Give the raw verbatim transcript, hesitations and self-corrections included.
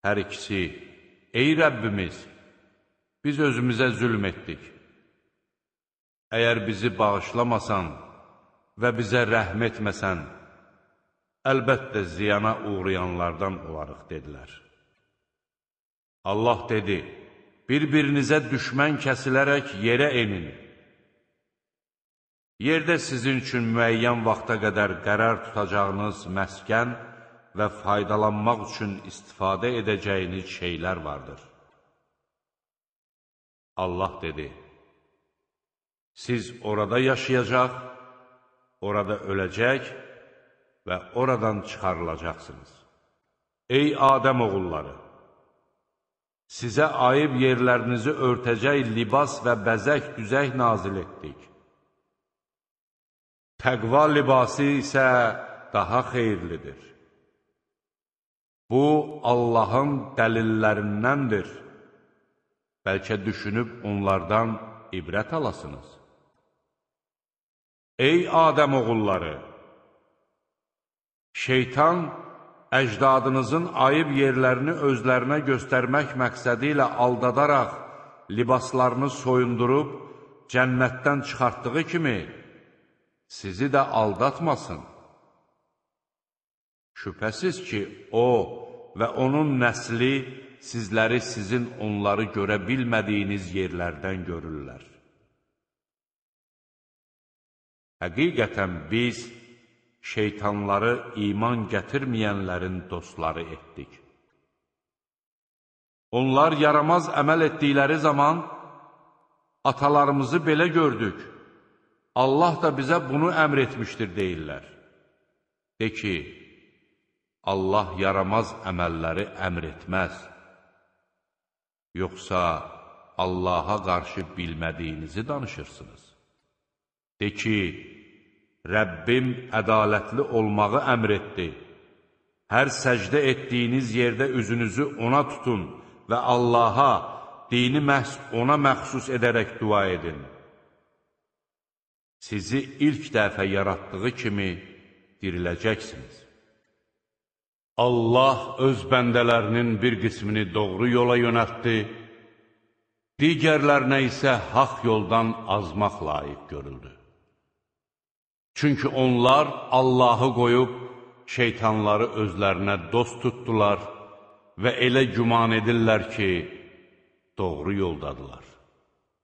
Hər ikisi, ey Rəbbimiz, biz özümüzə zülm etdik. Əgər bizi bağışlamasan və bizə rəhm etməsən, əlbəttə ziyana uğrayanlardan olarıq, dedilər. Allah dedi, bir-birinizə düşmən kəsilərək yerə enin. Yerdə sizin üçün müəyyən vaxta qədər qərar tutacağınız məskən və faydalanmaq üçün istifadə edəcəyiniz şeylər vardır. Allah dedi, siz orada yaşayacaq, orada öləcək və oradan çıxarılacaqsınız. Ey Adəm oğulları! Sizə ayıb yerlərinizi örtəcək libas və bəzək düzək nazil etdik. Təqva libası isə daha xeyirlidir. Bu, Allahın dəlillərindəndir. Bəlkə düşünüb onlardan ibrət alasınız. Ey Adəm oğulları! Şeytan, əcdadınızın ayıb yerlərini özlərinə göstərmək məqsədi ilə aldadaraq libaslarını soyundurub cənnətdən çıxartdığı kimi, sizi də aldatmasın. Şübhəsiz ki, o və onun nəsli sizləri sizin onları görə bilmədiyiniz yerlərdən görürlər. Həqiqətən biz şeytanları iman gətirməyənlərin dostları etdik. Onlar yaramaz əməl etdikləri zaman atalarımızı belə gördük. Allah da bizə bunu əmr etmişdir, deyirlər. De ki, Allah yaramaz əməlləri əmr etməz. Yoxsa Allaha qarşı bilmədiyinizi danışırsınız. De ki, Rəbbim ədalətli olmağı əmr etdi. Hər səcdə etdiyiniz yerdə üzünüzü ona tutun və Allaha, dini məhz ona məxsus edərək dua edin. Sizi ilk dəfə yaratdığı kimi diriləcəksiniz. Allah öz bəndələrinin bir qismini doğru yola yönəltdi, digərlərinə isə haqq yoldan azmaq layiq görüldü. Çünki onlar Allahı qoyub şeytanları özlərinə dost tutdular və elə güman edirlər ki, doğru yoldadılar.